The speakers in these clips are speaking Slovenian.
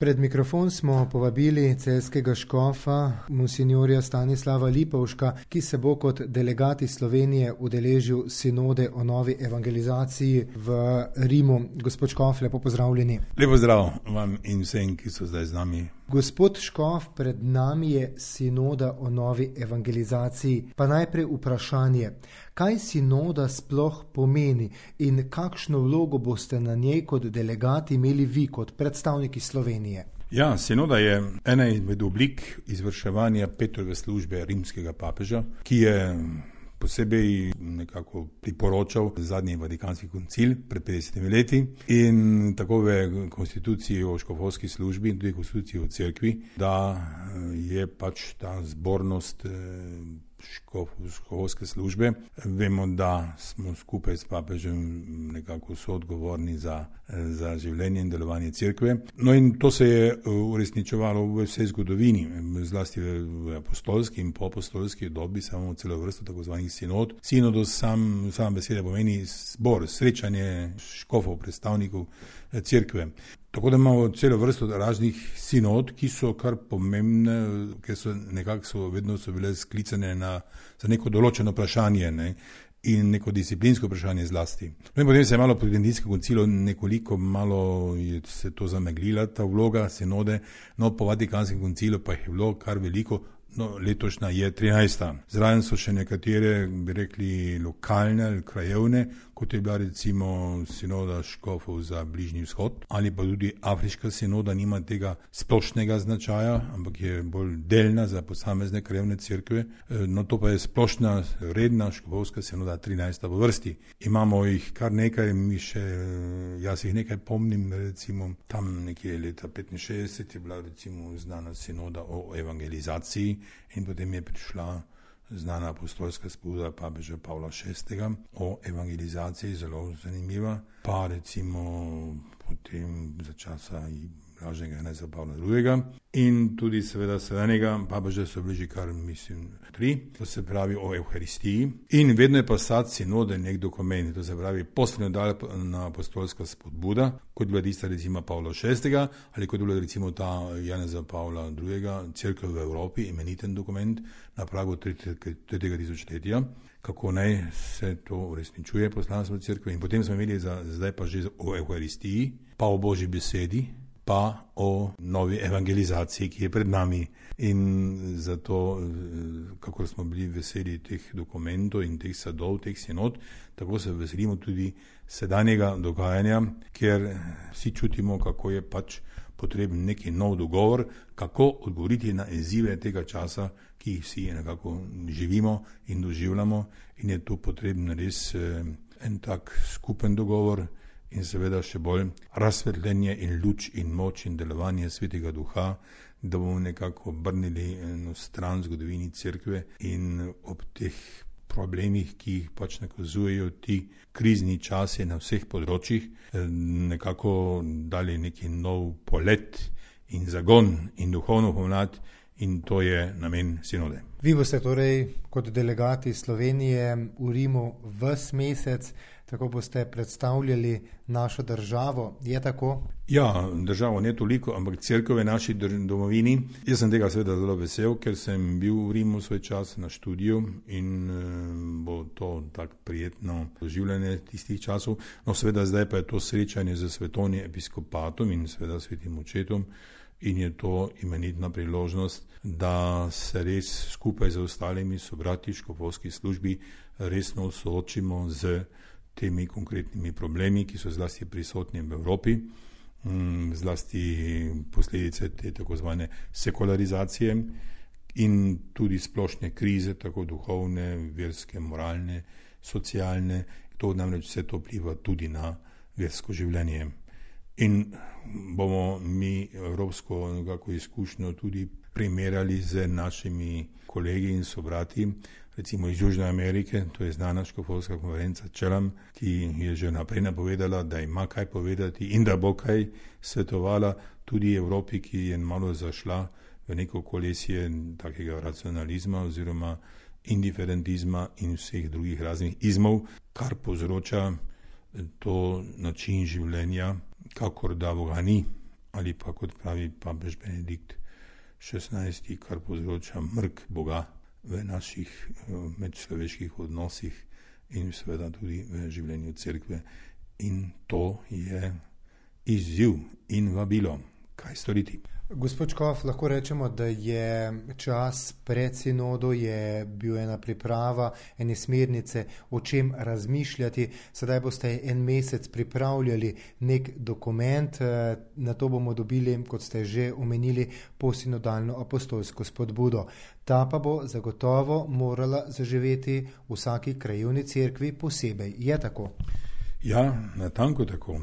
Pred mikrofon smo povabili celjskega škofa, monsinjorja Stanislava Lipovška, ki se bo kot delegat iz Slovenije udeležil sinode o novi evangelizaciji v Rimu. Gospod škof, lepo pozdravljeni. Lepo zdrav vam in vsem, ki so zdaj z nami. Gospod škof, pred nami je sinoda o novi evangelizaciji. Pa najprej vprašanje, kaj sinoda sploh pomeni in kakšno vlogo boste na njej kot delegat imeli vi, kot predstavniki Slovenije? Ja, sinoda je ena izmed oblik izvrševanja Petrove službe rimskega papeža, ki je posebej nekako priporočal zadnji Vatikanski koncil pred 50 leti in tako v konstituciji o škofovski službi in tudi konstituciji o cerkvi, da je pač ta zbornost škofovske službe. Vemo, da smo skupaj s papežem nekako soodgovorni za življenje in delovanje cerkve. No in to se je uresničevalo v vsej zgodovini, zlasti v apostolski in poapostolski dobi, samo celo vrsto tako zvanih sinod. Sinodos sama beseda pomeni zbor, srečanje škofov, predstavnikov cerkve. Tako da imamo celo vrsto raznih sinod, ki so kar pomembne, ker so vedno bile sklicane za neko določeno vprašanje, ne, in neko disciplinsko vprašanje zlasti. No in potem se je malo po Tridentinskem koncilu nekoliko malo je se to zameglila, ta vloga sinode, no po Vatikanskem koncilu pa jih je bilo kar veliko. No, letošnja je 13. Zraven so še nekatere, bi rekli, lokalne ali krajevne, kot je bila recimo sinoda škofov za Bližnji vzhod, ali pa tudi afriška sinoda nima tega splošnega značaja, ampak je bolj delna za posamezne krajevne cerkve. No, to pa je splošna, redna škofovska sinoda 13. po vrsti. Imamo jih kar nekaj, jaz jih nekaj pomnim, recimo tam nekje leta 65 je bila recimo znana sinoda o evangelizaciji, in potem je prišla znana apostolska spuda papeža Pavla VI. O evangelizaciji, zelo zanimiva, pa recimo potem za časa Blaženega Janeza Pavla II. In tudi seveda sedanjega papeža so bili že kar, mislim, 3, to se pravi o Evharistiji. In vedno je pa sad sinode nek dokument, to se pravi postsinodalna apostolska spodbuda, kot je bila tista recimo Pavla VI. Ali kot je bila recimo ta Janeza Pavla II. Cerkev v Evropi, imeniten dokument na pragu 3. tisočletja, kako naj se to uresničuje poslanstvo cerkve. In potem smo imeli zdaj pa že o Evharistiji, pa o Božji besedi, pa o novi evangelizaciji, ki je pred nami. In zato, kako smo bili veseli teh dokumentov in teh sadov, teh sinod, tako se veselimo tudi sedanjega dogajanja, ker vsi čutimo, kako je pač potreben neki nov dogovor, kako odgovoriti na izzive tega časa, ki jih vsi nekako živimo in doživljamo, in je tu potreben res en tak skupen dogovor, in seveda še bolj razsvetljenje in luč in moč in delovanje Svetega Duha, da bomo nekako obrnili eno stran zgodovini cerkve in ob teh problemih, ki jih pač nakazujejo ti krizni časi na vseh področjih, nekako dali neki nov polet in zagon in duhovno pomlad, in to je namen sinode. Vi boste torej kot delegati Slovenije v Rimu ves mesec, tako boste predstavljali našo državo, je tako? Ja, državo ne toliko, ampak cerkev v naši domovini. Jaz sem tega seveda zelo vesel, ker sem bil v Rimu svoj čas na študiju in bo to tak prijetno doživljanje tistih časov. No, seveda zdaj pa je to srečanje z svetovnim episkopatom in seveda svetim očetom, in je to imenitna priložnost, da se res skupaj z ostalimi sobrati v škofovski službi resno soočimo z temi konkretnimi problemi, ki so zlasti prisotni v Evropi, zlasti posledice te tako zvane sekularizacije in tudi splošne krize, tako duhovne, verske, moralne, socialne. To namreč vse to vpliva tudi na versko življenje. In bomo mi evropsko nekako izkušnjo tudi primerjali z našimi kolegi in sobrati, recimo iz Južne Amerike, to je znana škofovska konferenca Čelam, ki je že naprej napovedala, da ima kaj povedati in da bo kaj svetovala tudi Evropi, ki je malo zašla v neko kolesje takega racionalizma oziroma indiferentizma in vseh drugih raznih izmov, kar povzroča to način življenja, kakor da Boga ni ali pa kot pravi papež Benedikt XVI, kar povzroča mrk Boga v naših medčloveških odnosih in seveda tudi v življenju cerkve. In to je izziv in vabilo, kaj storiti. Gospod Škof, lahko rečemo, da je čas pred sinodo, je bil ena priprava, ene smernice, o čem razmišljati. Sedaj boste en mesec pripravljali nek dokument, na to bomo dobili, kot ste že omenili, posinodalno apostolsko spodbudo. Ta pa bo zagotovo morala zaživeti v vsaki krajevni cerkvi posebej. Je tako? Ja, natanko tako.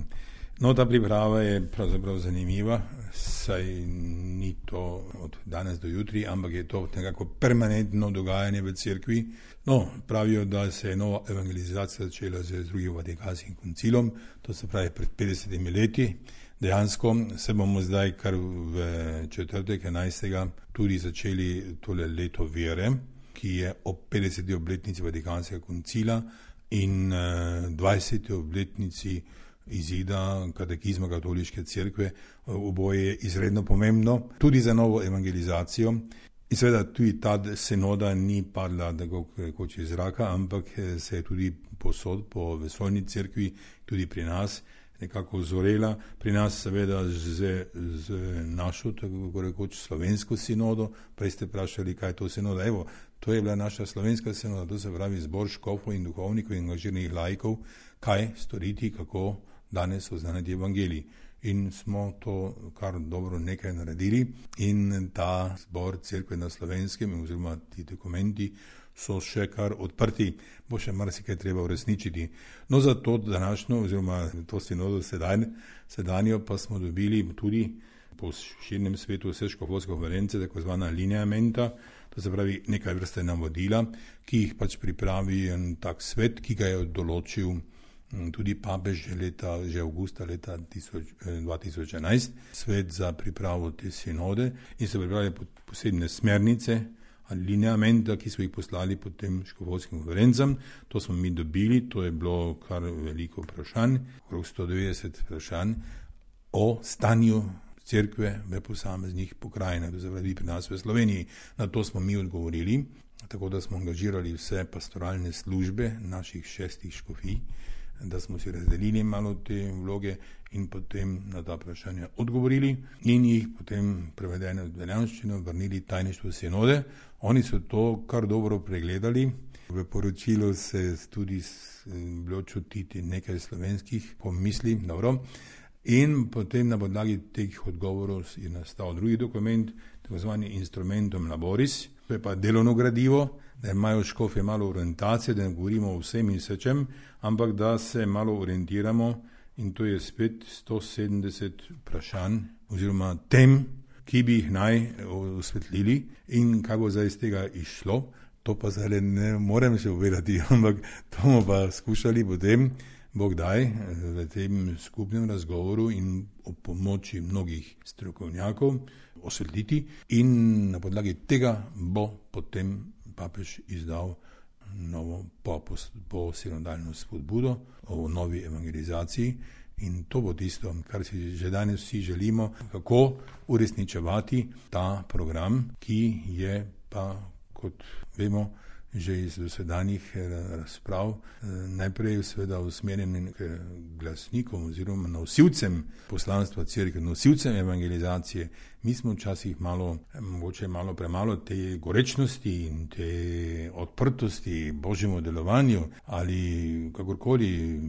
No, ta priprava je pravzaprav zanimiva, saj ni to od danes do jutri, ampak je to nekako permanentno dogajanje v cerkvi. No, pravijo, da se je nova evangelizacija začela z drugim Vatikanskim koncilom, to se pravi pred 50 leti. Dejansko se bomo zdaj kar v četrtek 11. tudi začeli tole leto vere, ki je ob 50. obletnici Vatikanskega koncila in 20. obletnici izida katekizma katoliške cerkve. Oboje je izredno pomembno, tudi za novo evangelizacijo. In seveda tudi ta sinoda ni padla tako rekoč iz zraka, ampak se je tudi posod po vesoljni cerkvi, tudi pri nas, nekako vzorela. Pri nas seveda z našo, tako rekoč, slovensko sinodo. Prej ste vprašali, kaj je to sinoda. Evo, to je bila naša slovenska sinoda, to se pravi zbor škofov in duhovnikov in angažiranih laikov, kaj storiti, kako danes oznaniti evangelij. In smo to kar dobro nekaj naredili in ta zbor cerkve na Slovenskem oziroma ti dokumenti so še kar odprti, bo še marsikaj treba uresničiti. No, za to današnjo oziroma to sinodo sedanjo pa smo dobili tudi po širnem svetu vse škofovske konference, tako zvana lineamenta, to se pravi nekaj vrste navodila, ki jih pač pripravi en tak svet, ki ga je določil tudi papež že avgusta leta 2011, svet za pripravo te sinode in se pripravljajo posebne smernice ali lineamenta, ki so jih poslali potem škofovskim konferencam. To smo mi dobili, to je bilo kar veliko vprašanj, okrog 190 vprašanj o stanju cerkve v posameznih pokrajinah, to se pravi pri nas v Sloveniji. Na to smo mi odgovorili, tako da smo angažirali vse pastoralne službe naših 6 škofij, da smo si razdelili malo te vloge in potem na ta vprašanja odgovorili in jih potem prevedene v italijanščino vrnili tajništvu sinode. Oni so to kar dobro pregledali. V poročilu se tudi bilo čutiti nekaj slovenskih pomisli, dobro. In potem na podlagi teh odgovorov je nastal drugi dokument, tako zvani Instrumentum Laboris, to je pa delovno gradivo, da imajo škofje malo orientacije, da ne govorimo o vsem in vsečem, ampak da se malo orientiramo in to je spet 170 vprašanj oziroma tem, ki bi jih naj osvetlili in kaj bo zdaj iz tega išlo. To pa zdaj ne morem še povedati, ampak to bomo pa skušali potem Bog daj v tem skupnem razgovoru in ob pomoči mnogih strokovnjakov osvetliti in na podlagi tega bo potem papež izdal novo posinodalno spodbudo o novi evangelizaciji in to bo tisto, kar si že danes vsi želimo, kako uresničevati ta program, ki je pa, kot vemo, že iz dosedanjih razprav, najprej seveda usmerjen k glasnikom oziroma nosilcem poslanstva cerkve, nosilcem evangelizacije. Mi smo včasih mogoče malo premalo te gorečnosti in te odprtosti Božjemu delovanju ali kakorkoli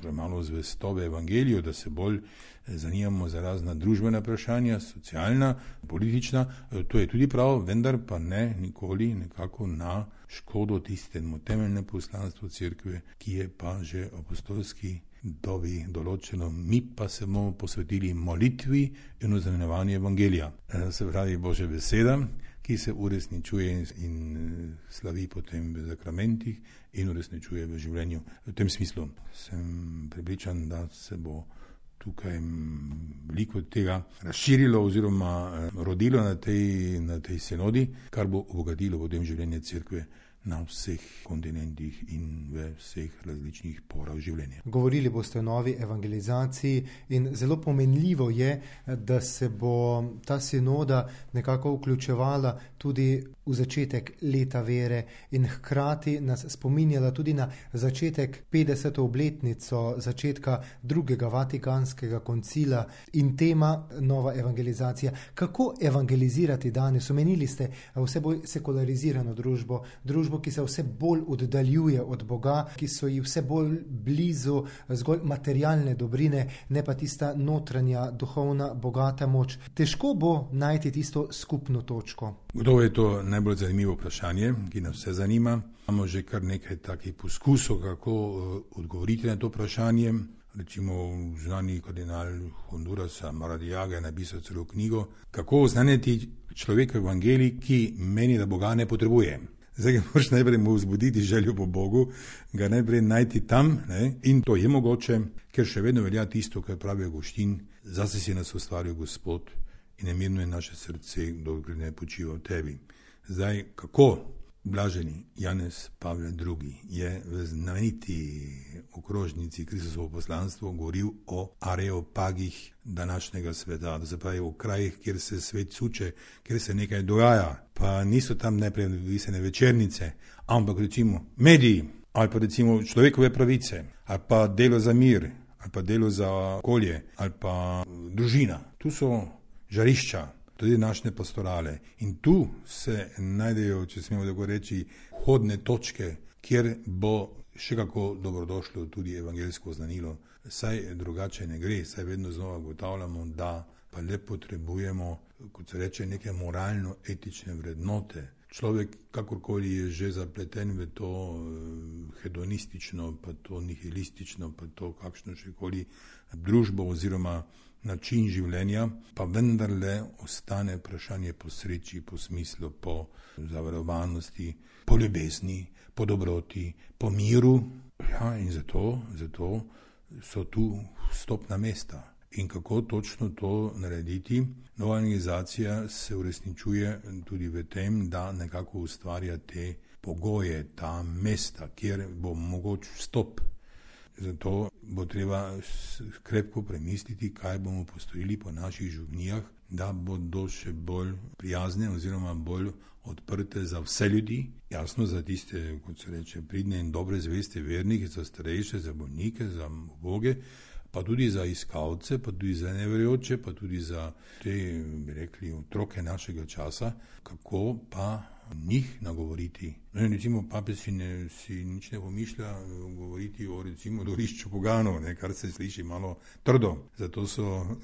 premalo zvestobe evangeliju, da se bolj zanimamo za razna družbena vprašanja, socialna, politična. To je tudi prav, vendar pa ne nikoli nekako na škodo tistemu temeljnemu poslanstvu cerkve, ki je pa že apostolski dobi določeno. Mi pa se bomo posvetili molitvi in oznanjevanju evangelija. Se pravi Božja beseda, ki se uresničuje in slavi potem v zakramentih in uresničuje v življenju. V tem smislu sem prepričan, da se bo tukaj veliko tega razširilo oziroma rodilo na tej sinodi, kar bo obogatilo potem življenje cerkve na vseh kontinentih in v vseh različnih porah življenja. Govorili boste o novi evangelizaciji in zelo pomenljivo je, da se bo ta sinoda nekako vključevala tudi v začetek leta vere in hkrati nas spominjala tudi na začetek 50. obletnico začetka drugega Vatikanskega koncila in tema nova evangelizacija. Kako evangelizirati danes? Omenili ste vse bolj sekularizirano družbo, ki se vse bolj oddaljuje od Boga, ki so ji vse bolj blizu zgolj materialne dobrine, ne pa tista notranja, duhovna, bogata moč. Težko bo najti tisto skupno točko. Gotovo je to najbolj zanimivo vprašanje, ki nas vse zanima. Imamo že kar nekaj takih poskusov, kako odgovoriti na to vprašanje. Recimo znani kardinal Hondurasa Maradiaga je napisal celo knjigo, kako oznaniti človeka v evangeliji, ki meni, da Boga ne potrebuje. Zdaj ga moraš najprej mu vzbuditi željo po Bogu, ga najprej najti tam, ne? In to je mogoče, ker še vedno velja tisto, kar pravi Avguštin, zase si nas ustvaril Gospod in ne mirno je naše srce, dokler ne počiva v tebi. Zdaj, kako blaženi Janez Pavle II je v znameniti okrožnici Kristusovo poslanstvo govoril o areopagih današnjega sveta, da se pravi o krajih, kjer se svet suče, kjer se nekaj dogaja, pa niso tam najprej visene večernice, ampak recimo mediji, ali pa recimo človekove pravice, ali pa delo za mir, ali pa delo za okolje, ali pa družina. Tu so žarišča, tudi naše pastorale. In tu se najdejo, če smemo tako reči, vhodne točke, kjer bo še kako dobrodošlo tudi evangeljsko znanilo. Saj drugače ne gre, saj vedno znova ugotavljamo, da pa le potrebujemo, kot se reče, neke moralno-etične vrednote. Človek, kakorkoli je že zapleten v to hedonistično, pa to nihilistično, pa to kakšno šekoli družbo oziroma način življenja, pa vendarle ostane vprašanje po sreči, po smislu, po zavarovanosti, po ljubezni, po dobroti, po miru. Ja, in zato so tu vstopna mesta. In kako točno to narediti? Nova evangelizacija se uresničuje tudi v tem, da nekako ustvarja te pogoje, ta mesta, kjer bo mogoč vstop. Zato bo treba krepko premisliti, kaj bomo postorili po naših župnijah, da bodo še bolj prijazne oziroma bolj odprte za vse ljudi, jasno za tiste, kot se reče, pridne in dobre zveste vernike, za starejše, za bolnike, za uboge, pa tudi za iskalce, pa tudi za neverjoče, pa tudi za te, bi rekli, otroke našega časa, kako pa njih nagovoriti. No, recimo papež si nič ne pomišlja govoriti o recimo dvorišču poganov, kar se sliši malo trdo. Zato so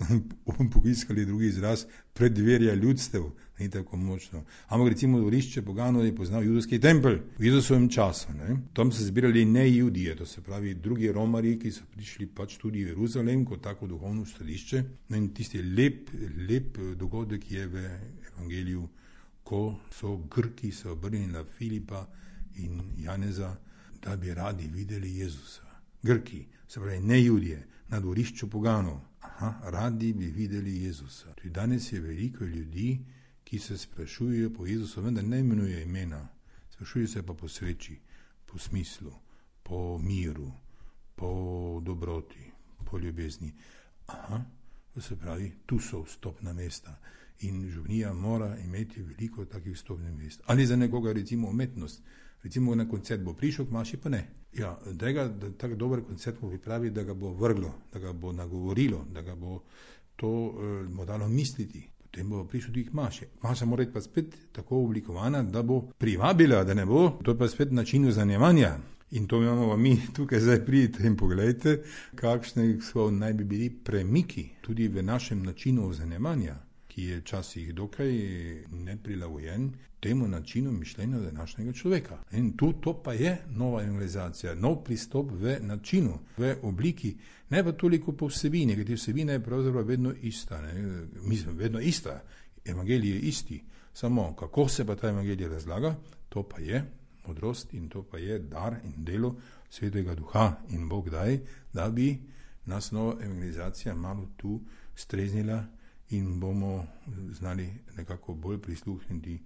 poiskali drugi izraz preddverja ljudstev, ni tako močno. Ampak recimo dvorišče poganov je poznal judovski tempelj v Jezusovem času. Tam so zbirali ne Judije, to se pravi drugi Romarji, ki so prišli pač tudi v Jeruzalem kot tako duhovno središče. No, in tisti lep dogodek je v evangeliju, ko so Grki se obrnili na Filipa in Janeza, da bi radi videli Jezusa. Grki, se pravi ne Judije, na dvorišču poganov. Radi bi videli Jezusa. Tudi danes je veliko ljudi, ki se sprašujejo po Jezusu, vendar ne imenuje imena. Sprašujejo se pa po sreči, po smislu, po miru, po dobroti, po ljubezni. To se pravi, tu so vstopna mesta. In župnija mora imeti veliko takih vstopnih mest. Ali za nekoga recimo umetnost. Recimo na koncert bo prišel, k maši pa ne. Ja, da tak dober koncert mu pripravi, da ga bo vrglo, da ga bo nagovorilo, da ga bo to mu dalo misliti. Potem bo prišel tudi k maši. Maša mora biti pa spet tako oblikovana, da bo privabila, da ne bo. To je pa spet način zanjevanja. In to imamo mi tukaj zdaj pridite in pogledajte, kakšne so naj bi bili premiki tudi v našem načinu zanjevanja, ki je včasih dokaj neprilagojen temu načinu mišljenja današnjega človeka. In to pa je nova evangelizacija, nov pristop v načinu, v obliki, ne pa toliko po vsebini, ker vsebina je pravzaprav vedno ista. Mislim, vedno ista, evangelij je isti, samo kako se pa ta evangelij razlaga, to pa je modrost in to pa je dar in delo Svetega Duha in Bog daj, da bi nas nova evangelizacija malo tu streznila in bomo znali nekako bolj prisluhniti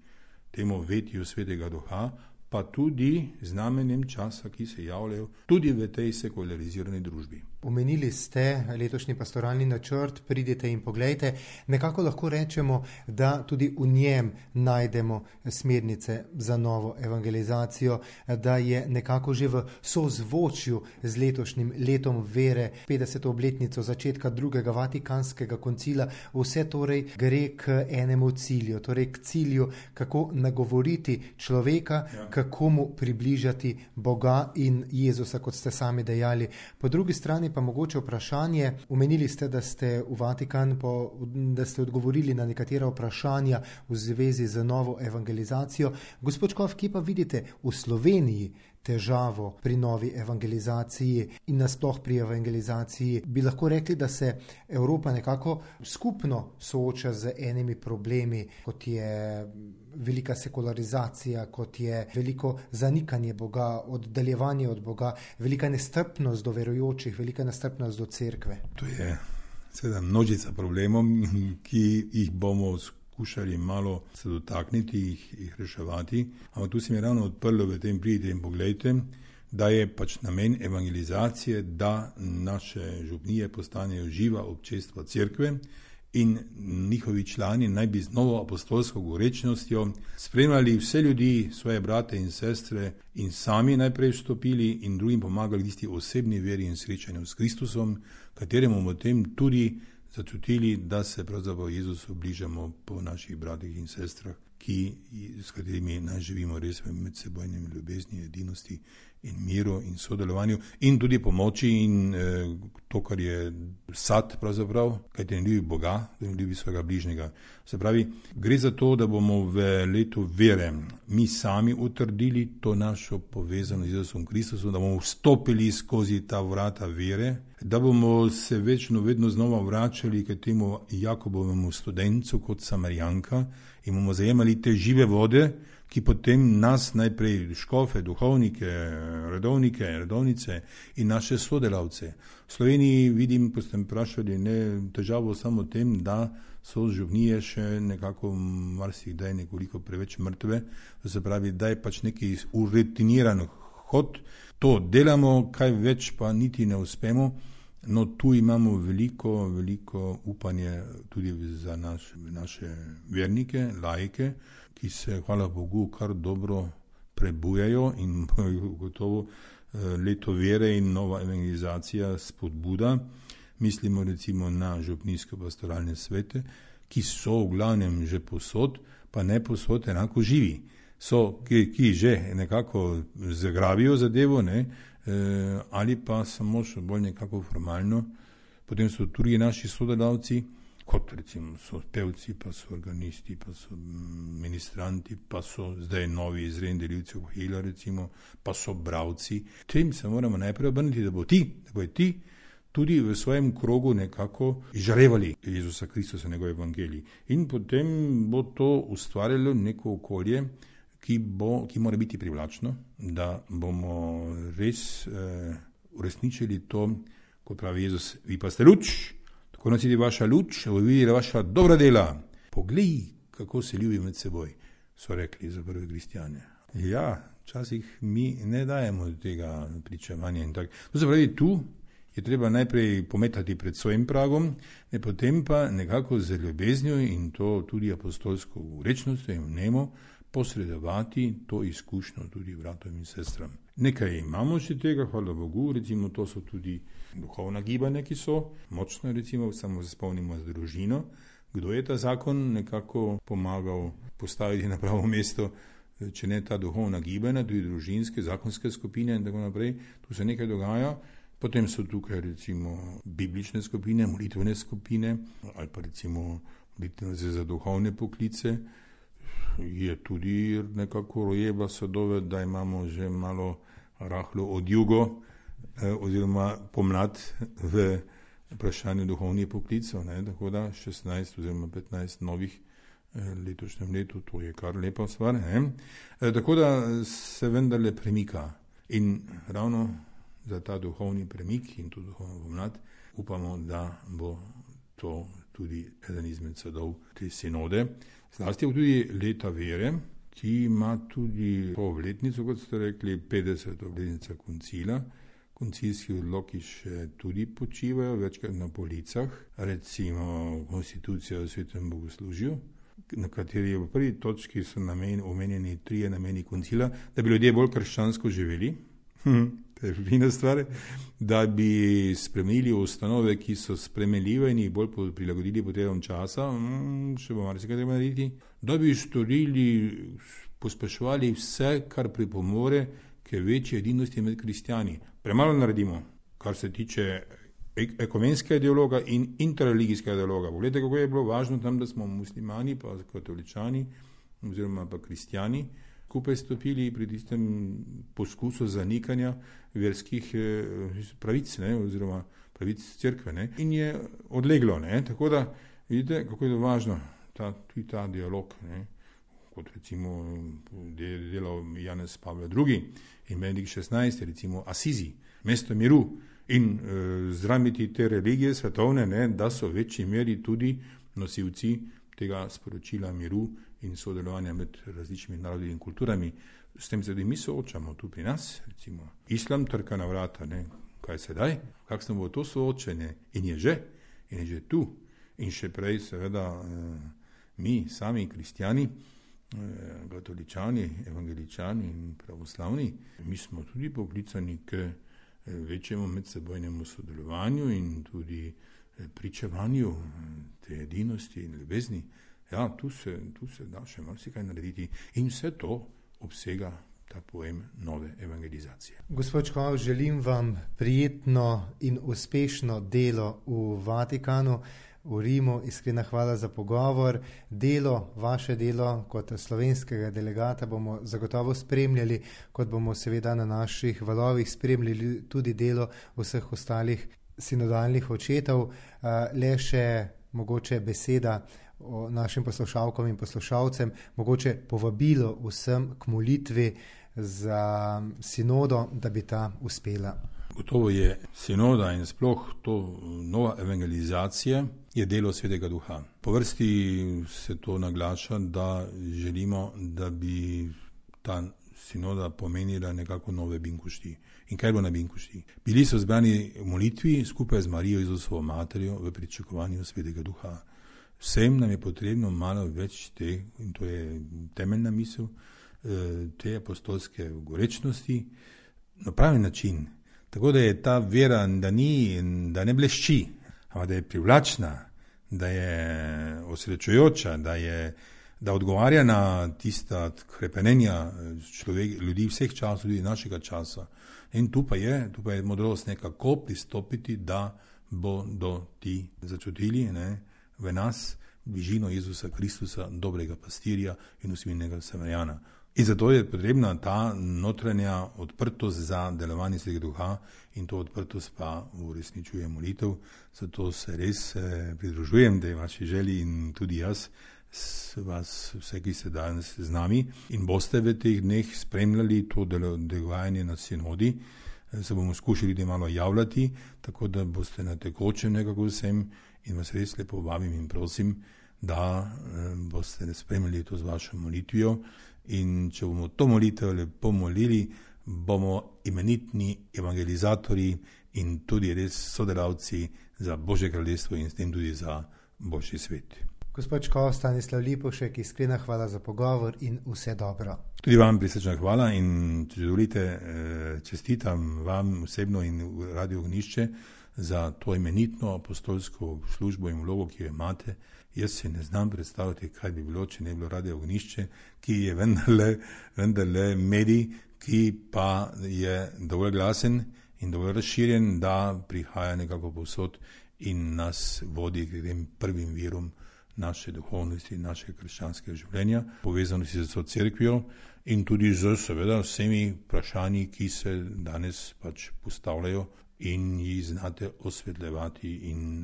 temu vetju Svetega Duha, pa tudi znamenjem časa, ki se javljajo tudi v tej sekularizirani družbi. Omenili ste letošnji pastoralni načrt, pridite in poglejte. Nekako lahko rečemo, da tudi v njem najdemo smernice za novo evangelizacijo, da je nekako že v sozvočju z letošnjim letom vere, 50. obletnico začetka drugega vatikanskega koncila, vse torej gre k enemu cilju, torej k cilju, kako nagovoriti človeka, kako mu približati Boga in Jezusa, kot ste sami dejali. Po drugi strani pa mogoče vprašanje, omenili ste, da ste v Vatikan, da ste odgovorili na nekatera vprašanja v zvezi z novo evangelizacijo. Gospod Škof, kje pa vidite v Sloveniji težavo pri novi evangelizaciji in nasploh pri evangelizaciji? Bi lahko rekli, da se Evropa nekako skupno sooča z enimi problemi, kot je velika sekularizacija, kot je veliko zanikanje Boga, oddaljevanje od Boga, velika nestrpnost do verujočih, velika nestrpnost do cerkve. To je seveda množica problemov, ki jih bomo skušali malo se dotakniti, jih reševati. Ampak tu se mi ravno odprlo v tem pridite in poglejte, da je pač namen evangelizacije, da naše župnije postanejo živa občestva cerkve in njihovi člani naj bi z novo apostolsko gorečnostjo spremljali vse ljudi, svoje brate in sestre in sami najprej vstopili in drugim pomagali tisti osebni veri in srečanju s Kristusom, kateremu v tem tudi začutili, da se pravzaprav Jezusu bližamo po naših bratih in sestrah, s katerimi naj živimo res v medsebojnem ljubezni, edinosti in miru in sodelovanju in tudi pomoči in to, kar je sad pravzaprav, kajti ne ljubi Boga, da ne ljubi svojega bližnjega. Se pravi, gre za to, da bomo v letu vere mi sami utrdili to našo povezano z Jezusom Kristusom, da bomo vstopili skozi ta vrata vere, da bomo se večno vedno znova vračali k temu Jakobovemu studencu kot Samarijanka in bomo zajemali te žive vode, ki potem nas najprej škofe, duhovnike, redovnice in naše sodelavce. V Sloveniji vidim, ko ste vprašali, ne težavo samo tem, da so župnije še nekako marsikdaj nekoliko preveč mrtve, to se pravi, da je pač neki urutiniran hod, to delamo, kaj več pa niti ne uspemo. No, tu imamo veliko upanje tudi za naše vernike, laike, ki se, hvala Bogu, kar dobro prebujajo in gotovo leto vere in nova evangelizacija spodbuda. Mislimo recimo na župnijske pastoralne svete, ki so v glavnem že posod, pa ne posod enako živi. So, ki že nekako zagrabijo zadevo, ne, ali pa samo še bolj nekako formalno. Potem so tudi naši sodelavci, kot recimo so pevci, pa so organisti, pa so ministranti, pa so zdaj novi izredni delivci Ohila recimo, pa so bravci. Tem se moramo najprej obrniti, da bo ti tudi v svojem krogu nekako izžarevali Jezusa Kristusa, njegov evangelij. In potem bo to ustvarjalo neko okolje, ki mora biti privlačno, da bomo res uresničili to, kot pravi Jezus, vi pa ste luč, tako nas vidi vaša luč, da bo videla vaša dobra dela. Poglej, kako se ljubi med seboj, so rekli za prve kristjane. Ja, včasih mi ne dajemo tega pričevanja in tako. To se pravi, tu je treba najprej pometati pred svojim pragom, potem pa nekako z ljubeznijo in to tudi apostolsko urečnostjo in vnemo posredovati to izkušnjo tudi bratom in sestram. Nekaj imamo še tega, hvala Bogu, recimo to so tudi duhovna gibanja, ki so močno, recimo samo spomnimo z družino, kdo je ta zakon nekako pomagal postaviti na pravo mesto, če ne ta duhovna gibanja, tudi družinske, zakonske skupine in tako naprej, tu se nekaj dogaja. Potem so tukaj recimo biblične skupine, molitvene skupine ali pa recimo molitvene za duhovne poklice. Je tudi nekako rojeva sadove, da imamo že malo rahlo odjugo oziroma pomlad v vprašanju duhovnih poklicov, tako da 16 oziroma 15 novih letošnjem letu, to je kar lepa stvar. Tako da se vendarle premika in ravno za ta duhovni premik in to duhovno pomlad upamo, da bo to tudi eden izmed sadov te sinode. Zlasti tudi leta vere, ki ima tudi obletnico, kot ste rekli, 50. obletnica koncila. Koncilski odloki še tudi počivajo, večkrat na policah, recimo konstitucija o svetem bogoslužju, na kateri v prvi točki so omenjeni 3 nameni koncila, da bi ljudje bolj krščansko živeli, to je fina stvar, da bi spremenili ustanove, ki so spremenljive in jih bolj prilagodili potrebam časa, še bo marsikaj treba narediti, da bi pospeševali vse, kar pripomore k večji edinosti med kristjani. Premalo naredimo, kar se tiče ekumenskega dialoga in interreligijskega dialoga. Poglejte, kako je bilo važno tam, da smo muslimani, pa katoličani, oziroma pa kristjani, skupaj stopili pri tistem poskusu zanikanja verskih pravic, oziroma pravic cerkve. In je odleglo. Tako da vidite, kako je to važno, tudi ta dialog, kot recimo delal Janez Pavle II. In Benedikt XVI, recimo Asizi, mesto miru, in zdramiti te religije svetovne, da so v večji meri tudi nosilci tega sporočila miru in sodelovanja med različnimi narodi in kulturami. S tem se mi soočamo tu pri nas, recimo islam trka na vrata, kaj sedaj, kakšno bo to soočenje, in je že tu, in še prej seveda mi sami kristjani, katoličani, evangeličani in pravoslavni, mi smo tudi poklicani k večjemu medsebojnemu sodelovanju in tudi pričevanju te edinosti in ljubezni. Ja, tu se da še marsikaj narediti in vse to obsega ta pojem nove evangelizacije. Gospod Čkov, želim vam prijetno in uspešno delo v Vatikanu, v Rimu. Iskrena hvala za pogovor. Vaše delo kot slovenskega delegata bomo zagotovo spremljali, kot bomo seveda na naših valovih spremljali tudi delo vseh ostalih sinodalnih očetov. Le še mogoče beseda o našim poslušalkam in poslušalcem, mogoče povabilo vsem k molitvi za sinodo, da bi ta uspela. Gotovo je sinoda in sploh to nova evangelizacija je delo Svetega Duha. Po vrsti se to naglaša, da želimo, da bi ta sinoda pomenila nekako nove binkošti. In kaj bo na binkošti? Bili so zbrani v molitvi skupaj z Marijo Jezusovo materjo v pričakovanju Svetega Duha. Vsem nam je potrebno malo več in to je temeljna misel, te apostolske gorečnosti na pravi način. Tako da je ta vera, da ne blešči, ampak da je privlačna, da je osrečujoča, da odgovarja na tista krepenenja ljudi vseh časov, tudi našega časa. In tu pa je modrost nekako pristopiti, da bodo ti začutili v nas bližino Jezusa Kristusa, dobrega pastirja in usmiljenega Samarijana. In zato je potrebna ta notranja odprtost za delovanje Svetega Duha in to odprtost pa uresničuje molitev. Zato se res pridružujem tej vaši želji in tudi jaz, vas vse, ki ste danes z nami in boste v teh dneh spremljali to dogajanje na sinodi. Se bomo skušali malo javljati, tako da boste na tekočem nekako vsem in vas res lepo vabim in prosim, da boste spremljali to z vašo molitvijo. In če bomo to molitev lepo molili, bomo imenitni evangelizatorji in tudi res sodelavci za Božje kraljestvo in s tem tudi za boljši svet. Gospod Čkov, Stanislav Lipovšek, iskrena hvala za pogovor in vse dobro. Tudi vam prisrčna hvala in če dovolite, čestitam vam osebno in Radio Ognjišče za to imenitno apostolsko službo in vlogo, ki jo imate. Jaz si ne znam predstavljati, kaj bi bilo, če ne bi bilo Radio Ognjišče, ki je vendarle medij, ki pa je dovolj glasen in dovolj razširjen, da prihaja nekako povsod in nas vodi k tem prvim virom naše duhovnosti, naše krščanskega življenja, povezanosti z vso cerkvijo in tudi z seveda vsemi vprašanji, ki se danes postavljajo in jih znate osvetljevati in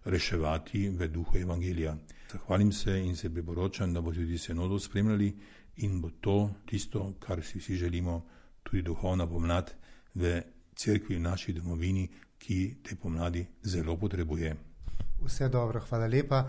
reševati v duhu evangelija. Zahvalim se in se priporočam, da bo tudi sinodo spremljali in bo to tisto, kar si vsi želimo, tudi duhovna pomlad v cerkvi, v naši domovini, ki te pomladi zelo potrebuje. Vse dobro, hvala lepa.